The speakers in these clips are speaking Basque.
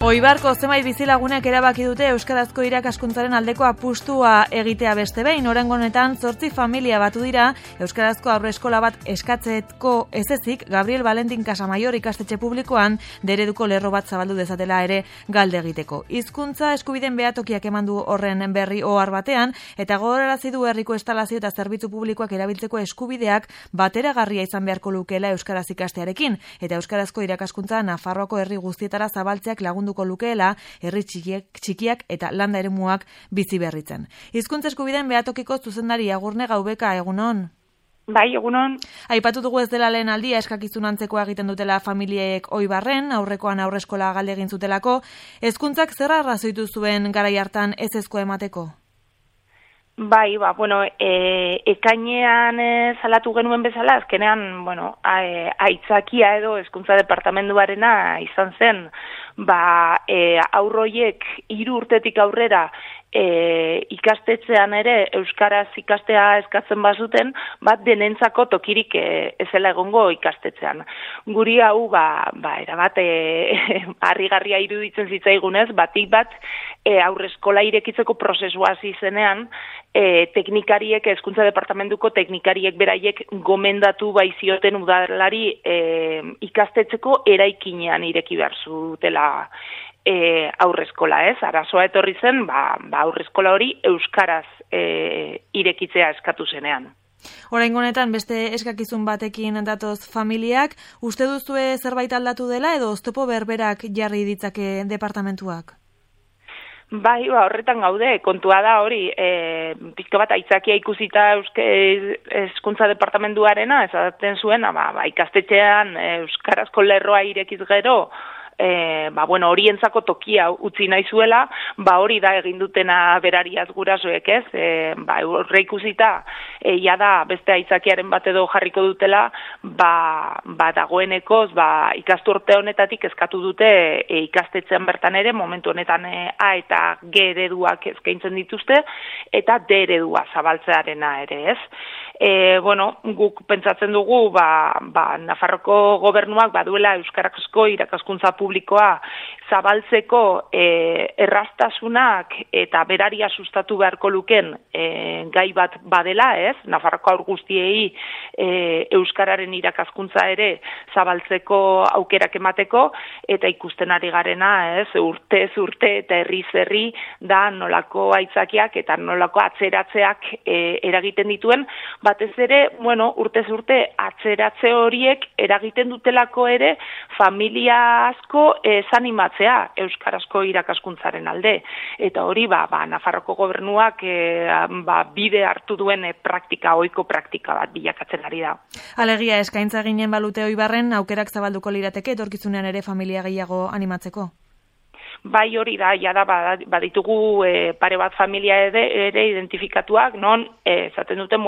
Oibarko zenbait bizilagunek erabaki dute euskarazko irakaskuntzaren aldeko apustua egitea beste behin. Oraingo honetan 8 familia batu dira euskarazko aurreskola bat eskatzeko ezezik Gabriel Valentin Casamaior ikastetxe publikoan dereduko lerro bat zabaldu dezatela ere galde egiteko. Hizkuntza eskubideen behatokiak eman du horren berri ohar batean eta gogorarazi du herriko instalazio eta zerbitzu publikoak erabiltzeko eskubideak bateragarria izan beharko lukeela euskaraz ikastearekin eta euskarazko irakaskuntza Nafarroako herri guztietara zabaltzeak lagundu lukeela herri txikiak eta landa eremuak bizi berritzen. Hizkuntza eskubideen behatokiko zuzendari Agurne Gaubeka, egunon. Bai, egunon. Aipatu dugu ez dela lehen aldia eskakizun antzekoa egiten dutela familiek Oibarren, aurrekoan aurreskola galde egin zutelako. Hezkuntzak zer arrazoitu zuen garai hartan ezezko emateko? Bai, ekainean salatu genuen bezala, azkenean, aitzakia edo hezkuntza departamenduarena izan zen, aurroiek 3 urtetik aurrera ikastetxean ere euskaraz ikastea eskatzen bazuten, denentzako tokirik ezela egongo ikastetxean. Guri hau, erabat harrigarria iruditzen zitzaigunez, batik bat aurreskola irekitzeko prozesua hasi zenean, teknikariek, hezkuntza departamentuko teknikariek beraiek gomendatu baizioten udalari ikastetxeko eraikinean ireki behar zutela aurreskola, arazoa etorri zen, aurreskola hori euskaraz irekitzea eskatu zenean. Oraingo honetan beste eskakizun batekin datoz familiak, uste duzue zerbait aldatu dela edo oztopo berberak jarri ditzake departamentuak? Bai, horretan gaude, kontua da hori, pizka bat aitzakia ikusita hezkuntza departamentuarena, esaten zuen, ikastetxean euskarazko lerroa irekiz gero, horientzako tokia utzi nahi zuela, hori da egin dutena berariaz gurasoek, ez? Horre ikusita, da beste aitzakiaren bat edo jarriko dutela, dagoenekoz, ikasturte honetatik eskatu dute ikastetxean bertan ere, momentu honetan A eta G ereduak eskaintzen dituzte, eta D eredua zabaltzearena ere, ez? Guk pentsatzen dugu, Nafarroko gobernuak baduela euskarazko irakaskuntza publikoa zabaltzeko erraztasunak eta beraria sustatu beharko luken gai bat badela, ez? Nafarroko haur guztiei euskararen irakaskuntza ere zabaltzeko aukerak emateko eta ikusten ari garena, ez? Urtez urte eta herriz herri da nolako aitzakiak eta nolako atzeratzeak eragiten dituen, batez ere, urtez urte atzeratze horiek eragiten dutelako ere familia asko desanimatzea euskarazko irakaskuntzaren alde. Eta hori, Nafarroko gobernuak bide hartu duen ohiko praktika bat bilakatzen ari da. Alegia, eskaintza ginen balute Oibarren, aukerak zabalduko lirateke etorkizunean ere familia gehiago animatzeko? Bai, hori da, baditugu pare bat familia ere identifikatuak, non, esaten duten,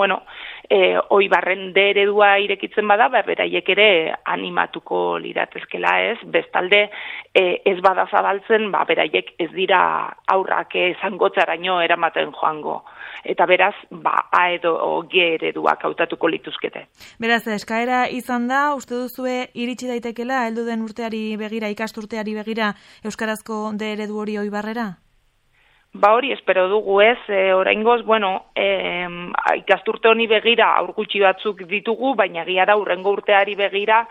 Oibarren D eredua irekitzen bada, beraiek ere animatuko liratezkela, ez? Bestalde, ez bada zabaltzen, beraiek ez dira aurrak zangotzaraino eramaten joango. Eta beraz, A edo G ereduak hautatuko lituzkete. Beraz, eskaera izan da, uste duzue iritsi daitekela, heldu den urteari begira, ikasturteari begira, euskarazko D eredu hori Oibarrera? Hori espero dugu, ez, oraingoz, ikasturte honi begira aur gutxi batzuk ditugu, baina egia da urrengo urteari begira,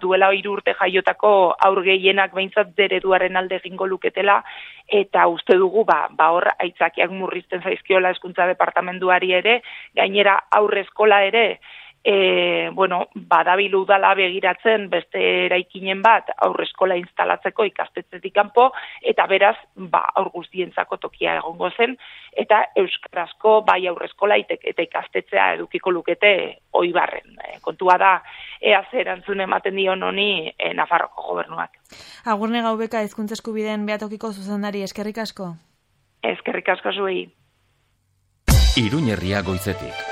duela 3 urte jaiotako aur gehienak behintzat ereduaren alde egingo luketela, eta uste dugu, hor aitzakiak murrizten zaizkiola hezkuntza departamentuari ere, gainera aurreskola ere, badabil udala begiratzen beste eraikinen bat aurreskola instalatzeko ikastetxetik kanpo eta beraz aur guztientzako tokia egongo zen eta euskarazko bai aurreskola eta ikastetxea edukiko lukete Oibarren. Kontua da ea zer erantzun ematen dion honi Nafarroko gobernuak. Agurne Gaubeka, hezkuntza eskubideen behatokiko zuzendari, eskerrik asko. Eskerrik asko zuei. Iruñerria goizetik.